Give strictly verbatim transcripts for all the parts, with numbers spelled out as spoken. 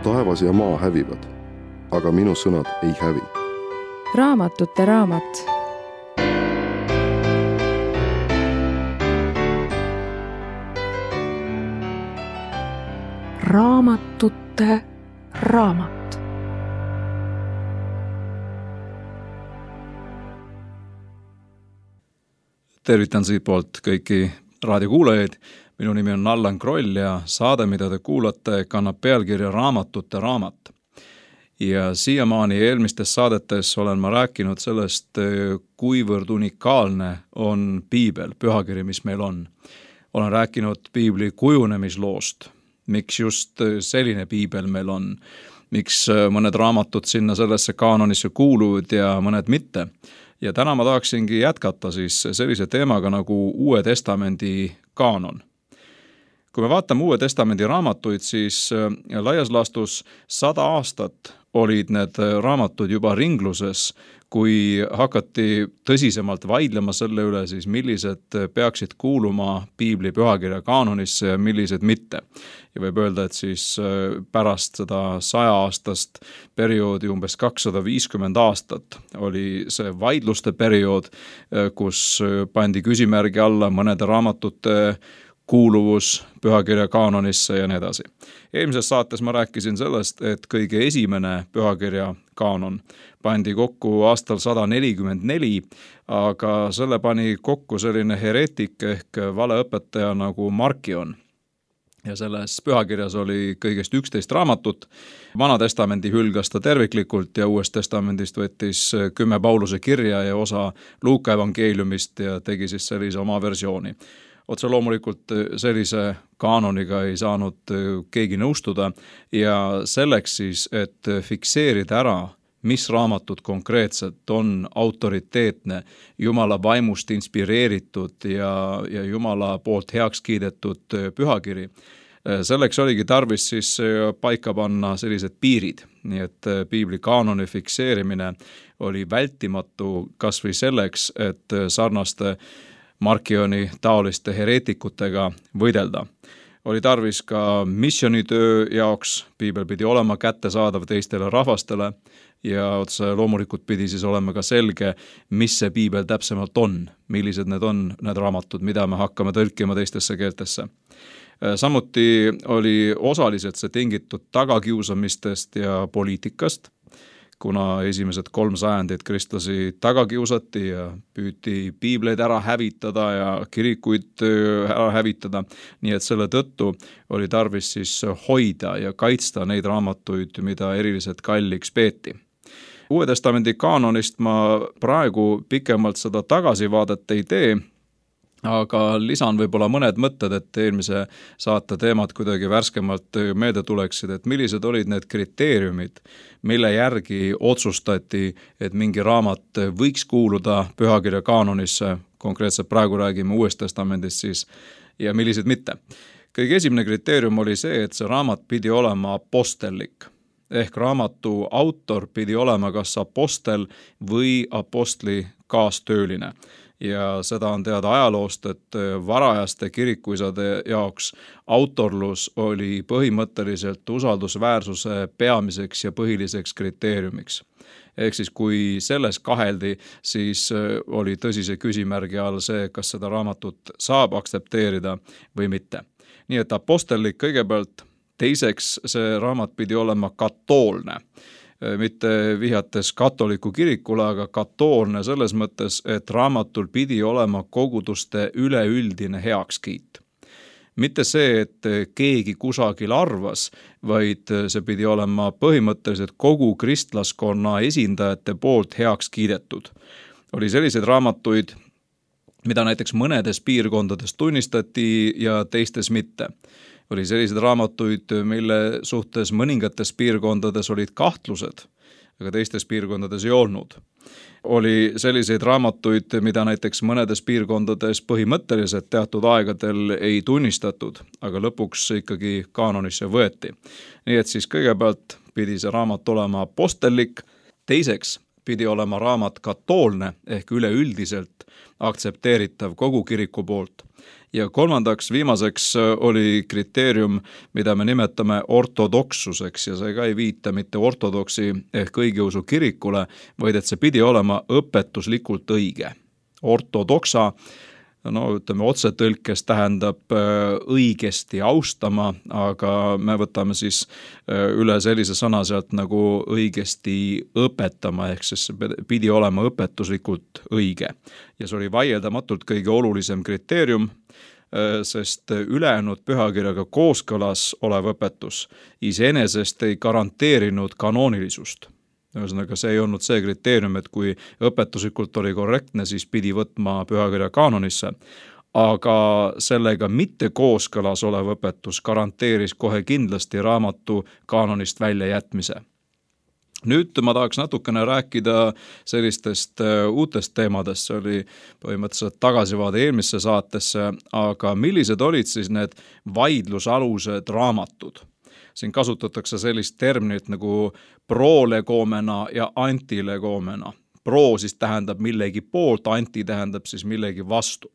taevas ja maa hävivad, aga minu sõnad ei hävi. Raamatute raamat. Raamatute raamat. Tervitan siit poolt kõiki raadiokuulajaid. Minu nimi on Allan Kroll ja saade, mida te kuulate, kannab pealkirja Raamatute raamat. Ja siiamaani eelmistes saadetes olen ma rääkinud sellest, kuivõrd unikaalne on piibel, pühakiri, mis meil on. Olen rääkinud piibli kujunemisloost, miks just selline piibel meil on, miks mõned raamatud sinna sellesse kaanonisse kuuluvad ja mõned mitte. Ja täna ma tahaksingi jätkata siis sellise teemaga nagu Uue Testamendi kaanon. Kui me vaatame Uue Testamendi raamatuid, siis laias laastus sada aastat olid need raamatud juba ringluses, kui hakati tõsisemalt vaidlema selle üle, siis millised peaksid kuuluma piibli pühakirja kaanonisse ja millised mitte. Ja võib öelda, et siis pärast seda saja aastast perioodi umbes kakssada viiskümmend aastat oli see vaidluste periood, kus pandi küsimärgi alla mõnede raamatute kuuluvus pühakirja kaanonisse ja nii edasi. Eelmises saates ma rääkisin sellest, et kõige esimene pühakirja kaanon pandi kokku aastal sada nelikümmend neli, aga selle pani kokku selline hereetik ehk valeõpetaja nagu Markion. Ja selles pühakirjas oli kõigest üksteist raamatut. Vana testamendi hülgas ta terviklikult ja Uuest testamendist võttis kümme Pauluse kirja ja osa Luuka evangeeliumist ja tegi siis sellise oma versiooni. Otse loomulikult sellise kaanoniga ei saanud keegi nõustuda ja selleks siis, et fikseerida ära, mis raamatud konkreetselt on autoriteetne, Jumala vaimust inspireeritud ja, ja Jumala poolt heaks kiidetud pühakiri. Selleks oligi tarvis siis paika panna sellised piirid, nii et piibli kaanoni fikseerimine oli vältimatu kas või selleks, et sarnaste Markioni taoliste hereetikutega võidelda. Oli tarvis ka missionitöö jaoks, piibel pidi olema kättesaadav teistele rahvastele ja otse loomulikult pidi siis olema ka selge, mis see piibel täpsemalt on, millised need on need raamatud, mida me hakkame tõlkima teistesse keeltesse. Samuti oli osaliselt see tingitud tagakiusamistest ja poliitikast, kuna esimesed kolm sajandit kristlasi tagakiusati ja püüti piibleid ära hävitada ja kirikuid ära hävitada. Nii et selle tõttu oli tarvis siis hoida ja kaitsta neid raamatuid, mida eriliselt kalliks peeti. Uue testamendi kaanonist ma praegu pikemalt seda tagasivaadet ei tee, aga lisan võib-olla mõned mõtted, et eelmise saate teemad kuidagi värskemalt meelde tuleksid, et millised olid need kriteeriumid, mille järgi otsustati, et mingi raamat võiks kuuluda pühakirja kaanonisse, konkreetselt praegu räägime Uuest testamendist siis, ja millised mitte. Kõige esimene kriteerium oli see, et see raamat pidi olema apostellik, ehk raamatu autor pidi olema kas apostel või apostli kaastööline. Ja seda on teada ajaloost, et varajaste kirikuisade jaoks autorlus oli põhimõtteliselt usaldusväärsuse peamiseks ja põhiliseks kriteeriumiks. Ehk siis kui selles kaheldi, siis oli tõsise küsimärgi all see, kas seda raamatut saab aktsepteerida või mitte. Nii et apostellik kõigepealt, teiseks see raamat pidi olema katoolne. Mitte vihjates katoliku kirikule, aga katoolne selles mõttes, et raamatul pidi olema koguduste üleüldine heakskiit. Mitte see, et keegi kusagil arvas, vaid see pidi olema põhimõtteliselt kogu kristlaskonna esindajate poolt heaks kiidetud. Oli selliseid raamatuid, mida näiteks mõnedes piirkondades tunnistati ja teistes mitte. Oli sellised raamatuid, mille suhtes mõningates piirkondades olid kahtlused, aga teistes piirkondades ei olnud. Oli selliseid raamatuid, mida näiteks mõnedes piirkondades põhimõtteliselt teatud aegadel ei tunnistatud, aga lõpuks ikkagi kaanonisse võeti. Nii et siis kõigepealt pidi see raamat olema apostellik, teiseks pidi olema raamat katoolne ehk üleüldiselt aktsepteeritav kogu kiriku poolt. Ja kolmandaks, viimaseks oli kriteerium, mida me nimetame ortodoksuseks ja see ka ei viita mitte ortodoksi ehk õigeusu kirikule, vaid et see pidi olema õpetuslikult õige. Ortodoksa, no ütleme otsetõlkes tähendab õigesti austama, aga me võtame siis üle sellise sõna sealt nagu õigesti õpetama, ehk siis pidi olema õpetuslikult õige. Ja see oli vaieldamatult kõige olulisem kriteerium, sest ülejäänud pühakirjaga kooskõlas olev õpetus iseenesest ei garanteerinud kanoonilisust. Ühesõnaga, see ei olnud see kriteerium, et kui õpetuslikult oli korrektne, siis pidi võtma pühakirja kaanonisse, aga sellega mitte kooskõlas olev õpetus garanteeris kohe kindlasti raamatu kaanonist välja jätmise. Nüüd ma tahaks natukene rääkida sellistest uutest teemadest, see oli põhimõtteliselt tagasivaade eelmisse saatesse, aga millised olid siis need vaidlusalused raamatud? Siin kasutatakse sellist terminit nagu prolegomena ja antilegomena. Pro siis tähendab millegi poolt, anti tähendab siis millegi vastu.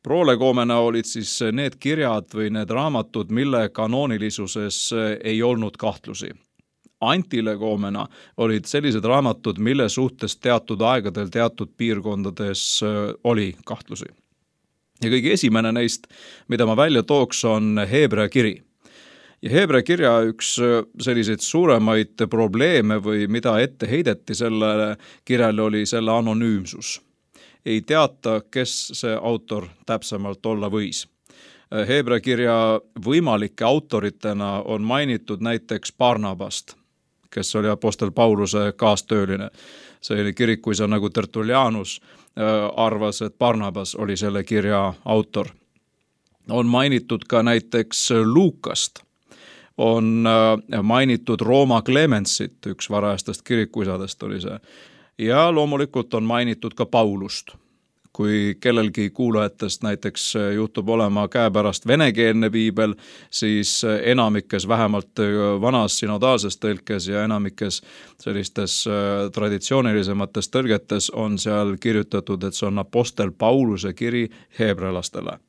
Prolegomena olid siis need kirjad või need raamatud, mille kanoonilisuses ei olnud kahtlusi. Antilegomena olid sellised raamatud, mille suhtes teatud aegadel, teatud piirkondades oli kahtlusi. Ja kõige esimene neist, mida ma välja tooks, on Heebrea kiri. Ja Heebrea kirja üks selliseid suuremaid probleeme või mida ette heideti sellele kirjale oli selle anonüümsus. Ei teata, kes see autor täpsemalt olla võis. Heebrea kirja võimalike autoritena on mainitud näiteks Barnabast, kes oli apostel Pauluse kaastööline. See oli kirikuisa nagu Tertullianus arvas, et Barnabas oli selle kirja autor. On mainitud ka näiteks Luukast. On mainitud Rooma Clemensit, üks varajastest kirikuisadest oli see. Ja loomulikult on mainitud ka Paulust. Kui kellelgi kuulajatest näiteks juhtub olema käepärast venekeelne piibel, siis enamikes vähemalt vanas synodaalses tõlkes ja enamikes sellistes traditsioonilisemates tõlgetes on seal kirjutatud, et see on apostel Pauluse kiri heebrealastele.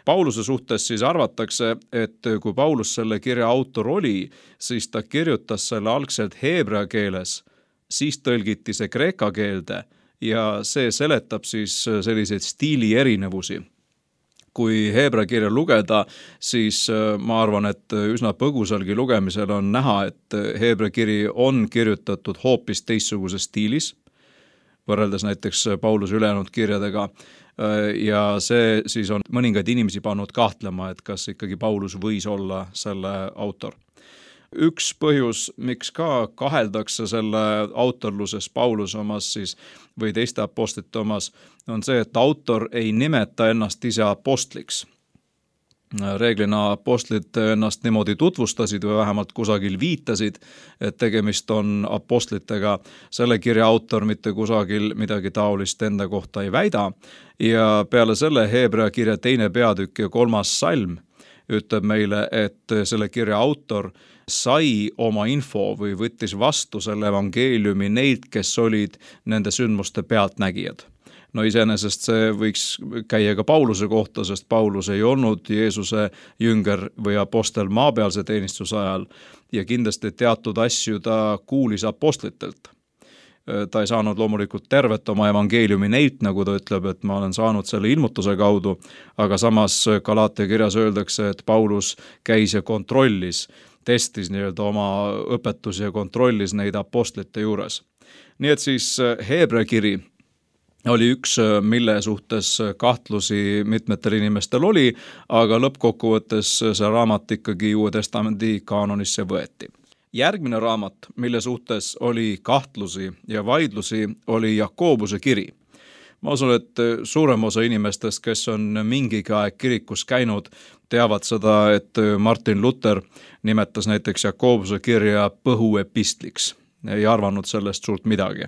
Pauluse suhtes siis arvatakse, et kui Paulus selle kirja autor oli, siis ta kirjutas selle algselt heebrea keeles, siis tõlgiti see kreeka keelde ja see seletab siis selliseid stiili erinevusi. Kui heebrea kirja lugeda, siis ma arvan, et üsna põgusalgi lugemisel on näha, et heebrea kiri on kirjutatud hoopis teistsuguses stiilis, võrreldes näiteks Pauluse ülejäänud kirjadega, ja see siis on mõningaid inimesi pannud kahtlema, et kas ikkagi Paulus võis olla selle autor. Üks põhjus, miks ka kaheldakse selle autorluses Pauluse omas siis, või teiste apostlite omas, on see, et autor ei nimeta ennast ise apostliks. Reeglina apostlid ennast niimoodi tutvustasid või vähemalt kusagil viitasid, et tegemist on apostlitega. Selle kirja autor mitte kusagil midagi taolist enda kohta ei väida ja peale selle heebrea kirja teine peatükk ja kolmas salm ütleb meile, et selle kirja autor sai oma info või võttis vastu selle evangeeliumi neilt, kes olid nende sündmuste pealtnägijad. No iseenesest see võiks käia ka Pauluse kohta, sest Paulus ei olnud Jeesuse jünger või apostel maapealse teenistuse ajal ja kindlasti teatud asju ta kuulis apostlitelt. Ta ei saanud loomulikult tervet oma evangeeliumi neilt, nagu ta ütleb, et ma olen saanud selle ilmutuse kaudu, aga samas Galaatia kirjas öeldakse, et Paulus käis ja kontrollis, testis nii-öelda oma õpetusi ja kontrollis neid apostlite juures. Nii et siis heebrea kiri oli üks, mille suhtes kahtlusi mitmetel inimestel oli, aga lõppkokkuvõttes see raamat ikkagi Uue Testamendi kaanonisse võeti. Järgmine raamat, mille suhtes oli kahtlusi ja vaidlusi, oli Jakobuse kiri. Ma usun, et suurem osa inimestest, kes on mingigi aeg kirikus käinud, teavad seda, et Martin Luther nimetas näiteks Jakobuse kirja põhuepistliks. Ei arvanud sellest suurt midagi.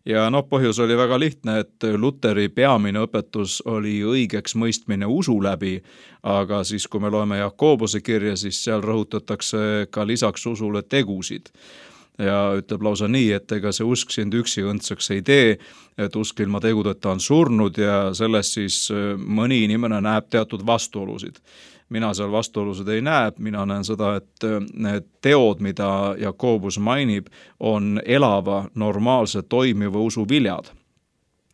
Ja noh, põhjus oli väga lihtne, et Lutheri peamine õpetus oli õigeks mõistmine usu läbi, aga siis kui me loeme Jakobuse kirja, siis seal rõhutatakse ka lisaks usule tegusid. ja ütleb lausa nii, et ega see usk sind üksi õndsaks ei tee, et usk ilma tegudeta on surnud ja sellest siis mõni inimene näeb teatud vastuolusid. Mina seal vastuolusid ei näe, mina näen seda, et need teod, mida Jakobus mainib, on elava, normaalse, toimiva usu viljad.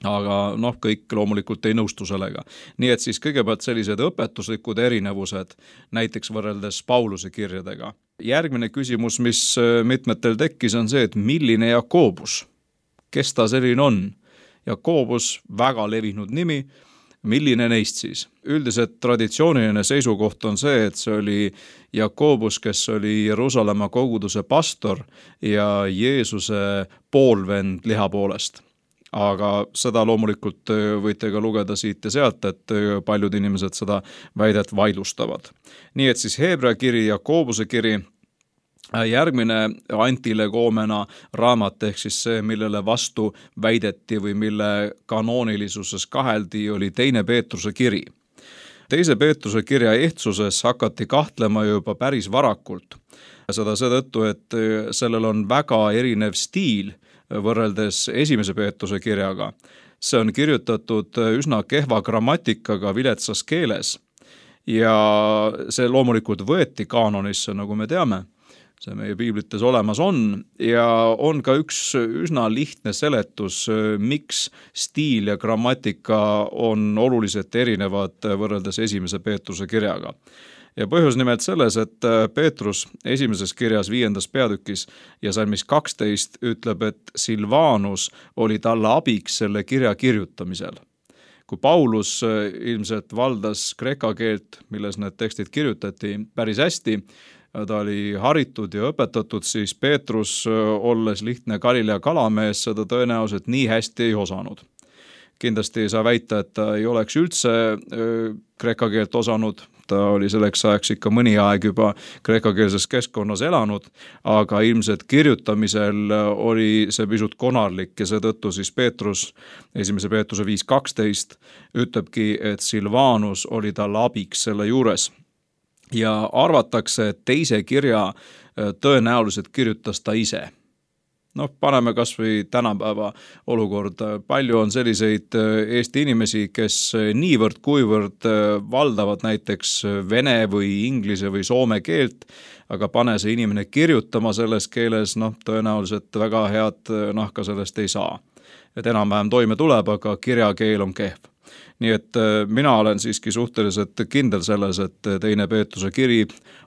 Aga noh, kõik loomulikult ei nõustu sellega. Nii et siis kõigepealt sellised õpetuslikud erinevused, näiteks võrreldes Pauluse kirjadega. Järgmine küsimus, mis mitmetel tekkis, on see, et milline Jakobus? Kes ta selline on? Jakobus, väga levinud nimi, milline neist siis? Üldiselt traditsiooniline seisukoht on see, et see oli Jakobus, kes oli Jeruusalemma koguduse pastor ja Jeesuse poolvend liha poolest. Aga seda loomulikult võite ka lugeda siit ja sealt, et paljud inimesed seda väidet vaidlustavad. Nii et siis Heebrea kiri, Jakobuse kiri, järgmine antilegoomena raamat ehk siis see, millele vastu väideti või mille kanoonilisuses kaheldi, oli teine Peetruse kiri. Teise Peetruse kirja ehtsuses hakati kahtlema juba päris varakult. Seda seetõttu, et sellel on väga erinev stiil võrreldes esimese Peetruse kirjaga. See on kirjutatud üsna kehva grammatikaga viletsas keeles ja see loomulikult võeti kaanonisse, nagu me teame. See meie piiblites olemas on ja on ka üks üsna lihtne seletus, miks stiil ja grammatika on oluliselt erinevad võrreldes esimese Peetruse kirjaga. Ja põhjus nimelt selles, et Peetrus esimeses kirjas viiendas peatükis ja salmis kaksteist ütleb, et Silvanus oli talle abiks selle kirja kirjutamisel. Kui Paulus ilmselt valdas kreeka keelt, milles need tekstid kirjutati päris hästi, ta oli haritud ja õpetatud, siis Peetrus, olles lihtne Galilea kalamees, seda tõenäoliselt nii hästi ei osanud. Kindlasti ei saa väita, et ta ei oleks üldse kreeka keelt osanud, ta oli selleks ajaks ikka mõni aeg juba kreekakeelses keskkonnas elanud, aga ilmselt kirjutamisel oli see pisut konarlik ja seetõttu siis Peetrus, esimese Peetruse viis kaksteist, ütlebki, et Silvanus oli tal abiks selle juures. Ja arvatakse, et teise kirja tõenäoliselt kirjutas ta ise. Noh, paneme kas või tänapäeva olukorda. Palju on selliseid Eesti inimesi, kes niivõrd kuivõrd valdavad näiteks vene või inglise või soome keelt, aga pane see inimene kirjutama selles keeles, noh, tõenäoliselt väga head nahka sellest ei saa. Et enam-vähem toime tuleb, aga kirjakeel on kehv. Nii et mina olen siiski suhteliselt kindel selles, et teine Peetruse kiri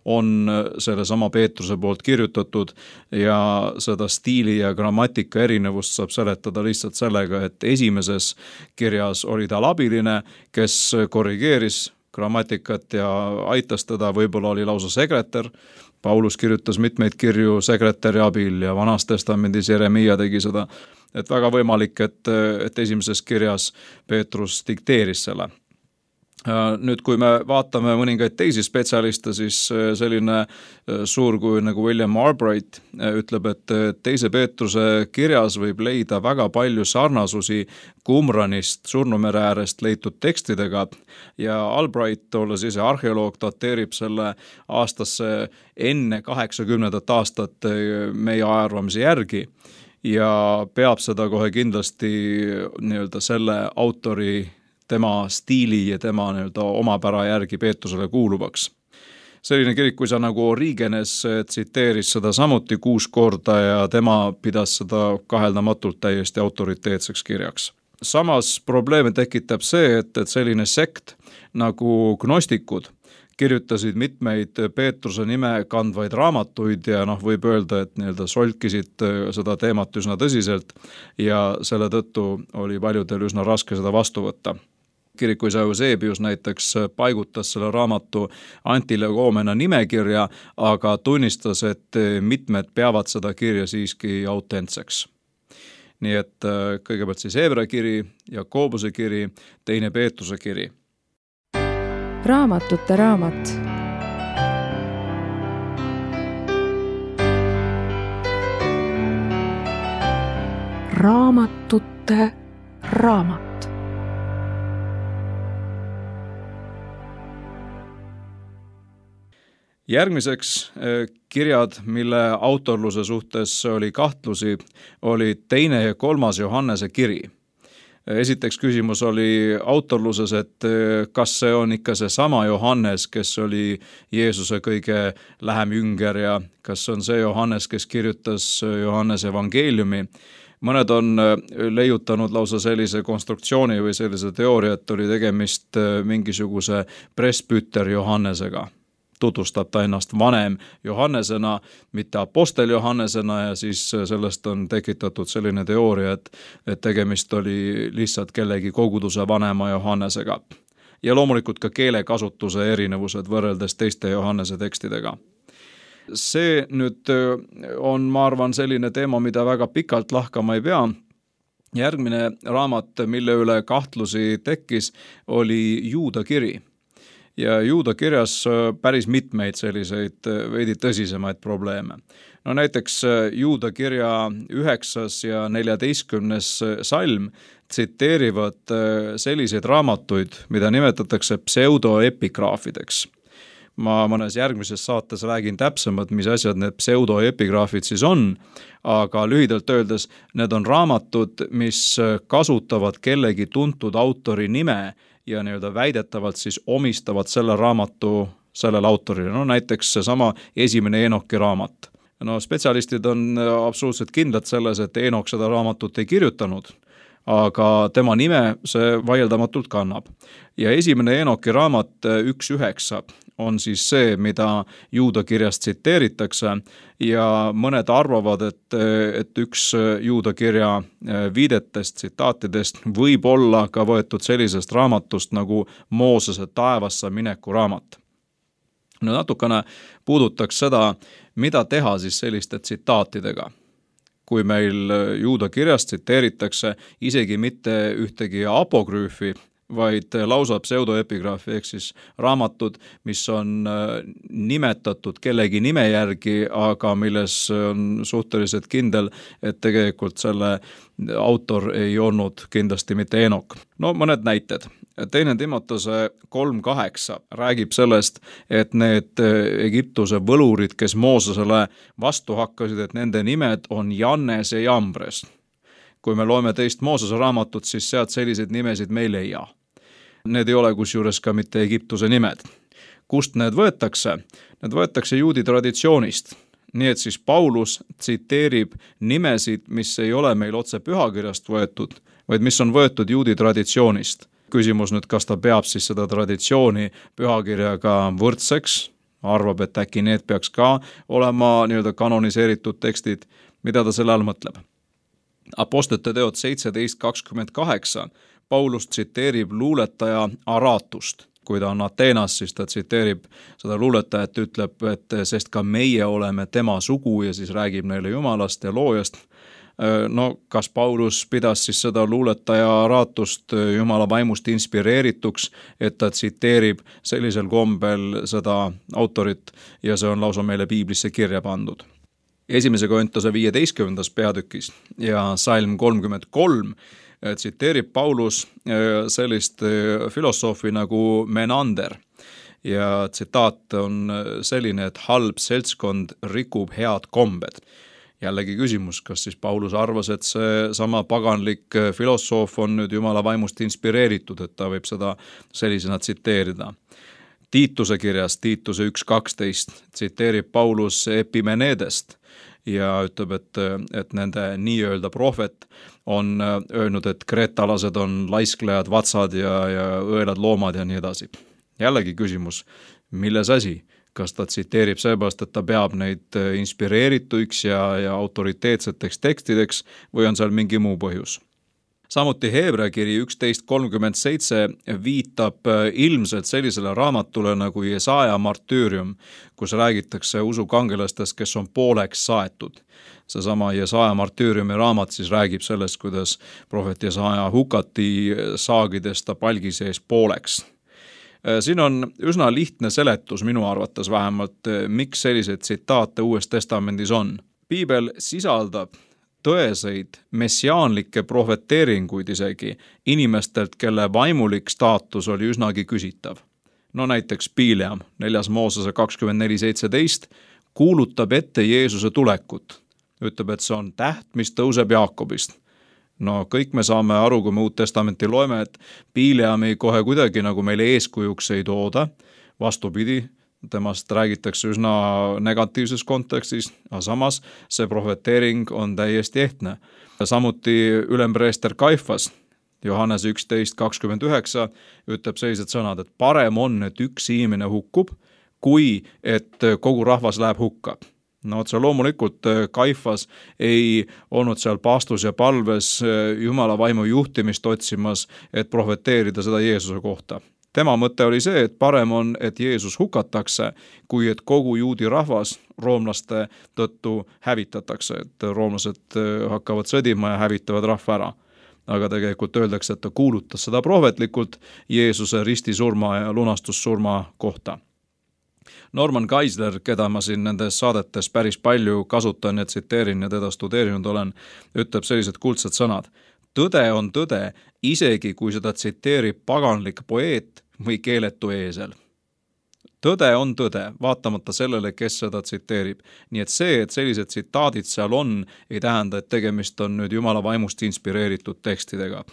on selle sama Peetruse poolt kirjutatud ja seda stiili ja grammatika erinevust saab seletada lihtsalt sellega, et esimeses kirjas oli tal abiline, kes korrigeeris grammatikat ja aitas teda, võib-olla oli lausa sekretär. Paulus kirjutas mitmeid kirju sekretäri abil ja Vanas testamendis Jeremia tegi seda. Et väga võimalik, et, et esimeses kirjas Peetrus dikteeris selle. Nüüd, kui me vaatame mõningaid teisi spetsialiste, siis selline suurkuju nagu William Albright ütleb, et teise Peetruse kirjas võib leida väga palju sarnasusi Qumranist, Surnumere äärest leitud tekstidega ja Albright, olles ise arheoloog, dateerib selle aastasse enne kaheksakümnendat aastat meie ajaarvamise järgi ja peab seda kohe kindlasti nii-öelda selle autori tema stiili ja tema nii-öelda omapära järgi Peetrusele kuuluvaks. Selline kirik, kui sa nagu Origenes tsiteeris seda samuti kuus korda ja tema pidas seda kaheldamatult täiesti autoriteetseks kirjaks. Samas probleeme tekitab see, et, et selline sekt nagu gnostikud kirjutasid mitmeid Peetruse nime kandvaid raamatuid ja noh, võib öelda, et nii-öelda solkisid seda teemat üsna tõsiselt ja selle tõttu oli paljudel üsna raske seda vastu võtta. Kirikuisa Eusebius näiteks paigutas selle raamatu antilegoomena nimekirja, aga tunnistas, et mitmed peavad seda kirja siiski autentseks. Nii et kõigepealt siis Heebrea kiri, Jakobuse kiri, teine Peetruse kiri. Raamatute raamat. Raamatute raamat. Järgmiseks kirjad, mille autorluse suhtes oli kahtlusi, oli teine ja kolmas Johannese kiri. Esiteks küsimus oli autorluses, et kas see on ikka see sama Johannes, kes oli Jeesuse kõige lähem jünger ja kas on see Johannes, kes kirjutas Johannese evangeeliumi. Mõned on leiutanud lausa sellise konstruktsiooni või sellise teooria, et oli tegemist mingisuguse presbüter Johannesega. Tutvustab ta ennast vanem Johannesena, mitte apostel Johannesena ja siis sellest on tekitatud selline teooria, et, et tegemist oli lihtsalt kellegi koguduse vanema Johannesega. Ja loomulikult ka keelekasutuse erinevused võrreldes teiste Johannese tekstidega. See nüüd on, ma arvan, selline teema, mida väga pikalt lahkama ei pea. Järgmine raamat, mille üle kahtlusi tekkis, oli Juuda kiri. Ja Juuda kirjas päris mitmeid selliseid veidi tõsisemaid probleeme. No näiteks Juuda kirja üheksas ja neljateistkümnes salm tsiteerivad selliseid raamatuid, mida nimetatakse pseudoepigraafideks. Ma mõnes järgmises saates räägin täpsemalt, mis asjad need pseudoepigraafid siis on, aga lühidalt öeldes need on raamatud, mis kasutavad kellegi tuntud autori nime ja nii-öelda väidetavalt siis omistavad selle raamatu sellele autorile. No näiteks seesama esimene Enoki raamat. No spetsialistid on absoluutselt kindlad selles, et Enok seda raamatut ei kirjutanud, aga tema nime see vaieldamatult kannab. Ja esimene Enoki raamat üks üheksa on siis see, mida Juuda kirjast tsiteeritakse ja mõned arvavad, et, et üks Juuda kirja viidetest, tsitaatidest võib olla ka võetud sellisest raamatust nagu Moosese taevasse mineku raamat. No natukene puudutaks seda, mida teha siis selliste tsitaatidega. Kui meil Juuda kirjast tsiteeritakse isegi mitte ühtegi apokrüüfi, vaid lausa pseudoepigraafi ehk siis raamatud, mis on nimetatud kellegi nime järgi, aga milles on suhteliselt kindel, et tegelikult selle autor ei olnud kindlasti mitte Enok. No mõned näited. Teine Timotese kolm kaheksa räägib sellest, et need Egiptuse võlurid, kes Moosesele vastu hakkasid, et nende nimed on Jannes ja Jambres. Kui me loeme teist Moosese raamatut, siis sealt selliseid nimesid me ei leia. Need ei ole kusjuures ka mitte Egiptuse nimed. Kust need võetakse? Need võetakse juudi traditsioonist. Nii et siis Paulus tsiteerib nimesid, mis ei ole meil otse pühakirjast võetud, vaid mis on võetud juudi traditsioonist. Küsimus nüüd, kas ta peab siis seda traditsiooni pühakirjaga võrdseks, arvab, et äkki need peaks ka olema nii-öelda kanoniseeritud tekstid, mida ta selle all mõtleb. Apostlite teod seitseteist kakskümmend kaheksa Paulus tsiteerib luuletaja Aratust. Kui ta on Ateenas, siis ta tsiteerib seda luuletajat, ütleb, et sest ka meie oleme tema sugu ja siis räägib neile Jumalast ja loojast. No kas Paulus pidas siis seda luuletaja Aratust Jumala vaimust inspireerituks, et ta tsiteerib sellisel kombel seda autorit ja see on lausa meile piiblisse kirja pandud. Esimese Korintuse viieteistkümnendas peatükis ja salm kolmkümmend kolm tsiteerib Paulus sellist filosoofi nagu Menander ja tsitaat on selline, et halb seltskond rikub head kombed. Jällegi küsimus, kas siis Paulus arvas, et see sama paganlik filosoof on nüüd Jumala vaimust inspireeritud, et ta võib seda sellisena tsiteerida. Tiituse kirjas, Tiituse üks kaksteist, tsiteerib Paulus Epimenedest ja ütleb, et, et nende nii-öelda prohvet on öelnud, et kreetalased on laisklejad, vatsad ja, ja õelad loomad ja nii edasi. Jällegi küsimus, milles asi? Kas ta tsiteerib seepärast, et ta peab neid inspireerituiks ja, ja autoriteetseteks tekstideks või on seal mingi muu põhjus? Samuti Heebrea kiri üksteist kolmkümmend seitse viitab ilmselt sellisele raamatule nagu Jesaja martüürium, kus räägitakse usukangelastest, kes on pooleks saetud. Seesama Jesaja martüüriumi raamat siis räägib sellest, kuidas prohvet Jesaja hukati saagidest ta palgi sees pooleks. Siin on üsna lihtne seletus minu arvates vähemalt, miks selliseid tsitaate Uues Testamendis on. Piibel sisaldab tõeseid messiaanlikke prohveteeringuid isegi inimestelt, kelle vaimulik staatus oli üsnagi küsitav. no näiteks Piileam, neljas Moosese kakskümmend neli seitseteist, kuulutab ette Jeesuse tulekut. Ütleb, et see on täht, mis tõuseb Jaakobist. No kõik me saame aru, kui me Uut Testamenti loeme, et Piileami kohe kuidagi nagu meile eeskujuks ei tooda, vastupidi, temast räägitakse üsna negatiivses kontekstis, aga samas see prohveteering on täiesti ehtne. Samuti ülempreester Kaifas, Johannes üksteist kakskümmend üheksa, ütleb sellised sõnad, et parem on, et üks inimene hukkub, kui et kogu rahvas läheb hukka. No otse loomulikult Kaifas ei olnud seal paastus ja palves Jumala vaimu juhtimist otsimas, et prohveteerida seda Jeesuse kohta. Tema mõte oli see, et parem on, et Jeesus hukatakse, kui et kogu juudi rahvas roomlaste tõttu hävitatakse, et roomlased hakkavad sõdima ja hävitavad rahva ära. Aga tegelikult öeldakse, et ta kuulutas seda prohvetlikult Jeesuse ristisurma ja lunastussurma kohta. Norman Geisler, keda ma siin nendes saadetes päris palju kasutan ja tsiteerin ja teda studeerinud olen, ütleb sellised kuldsed sõnad. Tõde on tõde, isegi kui seda tsiteerib paganlik poeet või keeletu eesel. Tõde on tõde, vaatamata sellele, kes seda tsiteerib. Nii et see, et sellised tsitaadid seal on, ei tähenda, et tegemist on nüüd Jumala vaimust inspireeritud tekstidega.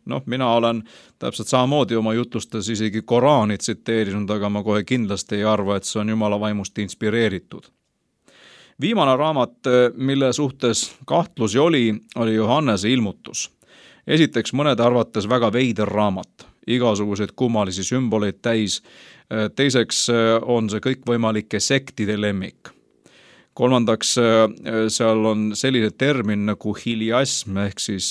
Noh, mina olen täpselt samamoodi oma jutlustes isegi Koraani tsiteerinud, aga ma kohe kindlasti ei arva, et see on Jumala vaimust inspireeritud. Viimane raamat, mille suhtes kahtlusi oli, oli Johannese ilmutus. Esiteks mõnede arvates väga veider raamat, igasuguseid kummalisi sümboleid täis. Teiseks on see kõikvõimalike sektide lemmik. Kolmandaks, seal on selline termin nagu hiliasm ehk siis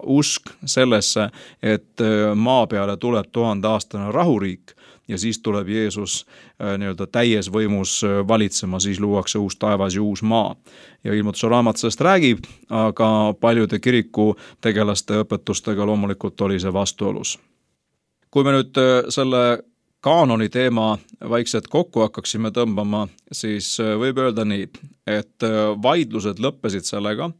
usk sellesse, et maa peale tuleb tuhandeaastane rahuriik ja siis tuleb Jeesus nii-öelda täies võimus valitsema, siis luuakse uus taevas ja uus maa. Ja ilmutuse raamat sellest räägib, aga paljude kiriku tegelaste õpetustega loomulikult oli see vastuolus. Kui me nüüd selle kaanoni teema vaikselt kokku hakkaksime tõmbama, siis võib öelda nii, et vaidlused lõppesid sellega,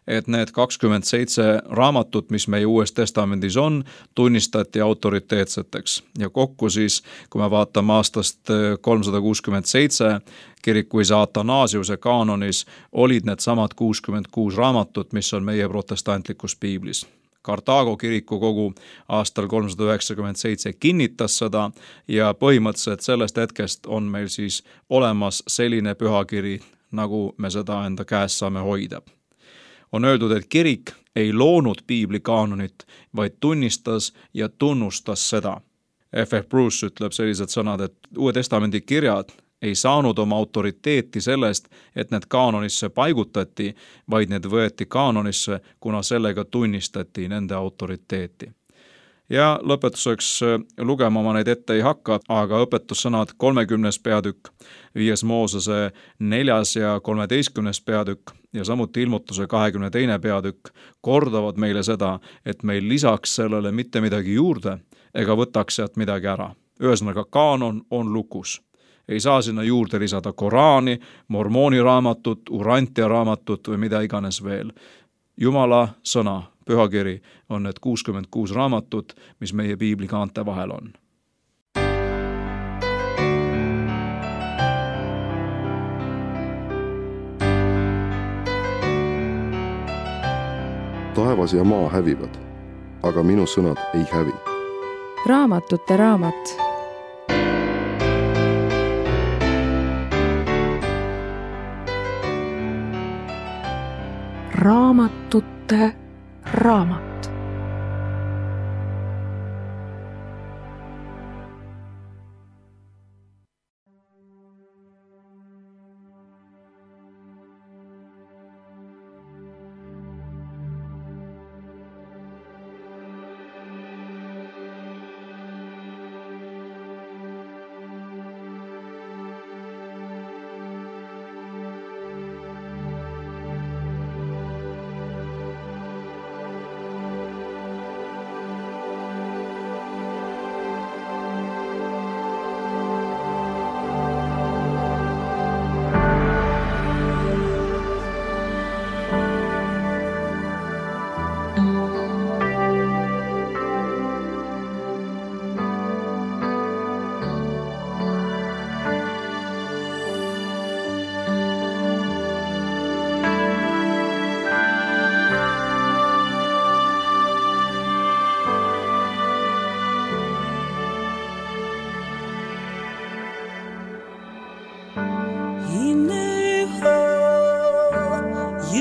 et need kakskümmend seitse raamatut, mis meie Uues Testamendis on, tunnistati autoriteetseteks. Ja kokku siis, kui me vaatame aastast kolmsada kuuskümmend seitse kirikuisa Athanasiuse kaanonis, olid need samad kuuskümmend kuus raamatut, mis on meie protestantlikus piiblis. Kartaago kirikukogu aastal kolmsada üheksakümmend seitse kinnitas seda ja põhimõtteliselt sellest hetkest on meil siis olemas selline pühakiri, nagu me seda enda käes saame hoida. On öeldud, et kirik ei loonud piibli kaanonit, vaid tunnistas ja tunnustas seda. F F Bruce ütleb sellised sõnad, et Uue Testamendi kirjad ei saanud oma autoriteeti sellest, et need kaanonisse paigutati, vaid need võeti kaanonisse, kuna sellega tunnistati nende autoriteeti. Ja lõpetuseks lugema ma neid ette ei hakka, aga õpetussõnad kolmekümnes peatükk, viies Moosese neljas ja kolmeteistkümnes peatükk ja samuti ilmutuse kahekümne teine peatükk kordavad meile seda, et meil lisaks sellele mitte midagi juurde ega võtaks sealt midagi ära. Ühesõnaga, kaanon on lukus. Ei saa sinna juurde lisada Koraani, Mormooni raamatut, Urantia raamatut või mida iganes veel. Jumala sõna, pühakiri, on need kuuskümmend kuus raamatut, mis meie piibli kaante vahel on. Taevas ja maa hävivad, aga minu sõnad ei hävi. Raamatute raamat. Raamatute raamat.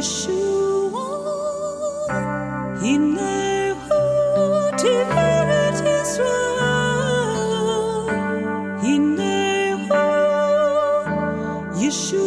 Yeshua, Hinehu Tiferet Yisrael, Hinehu Yeshua.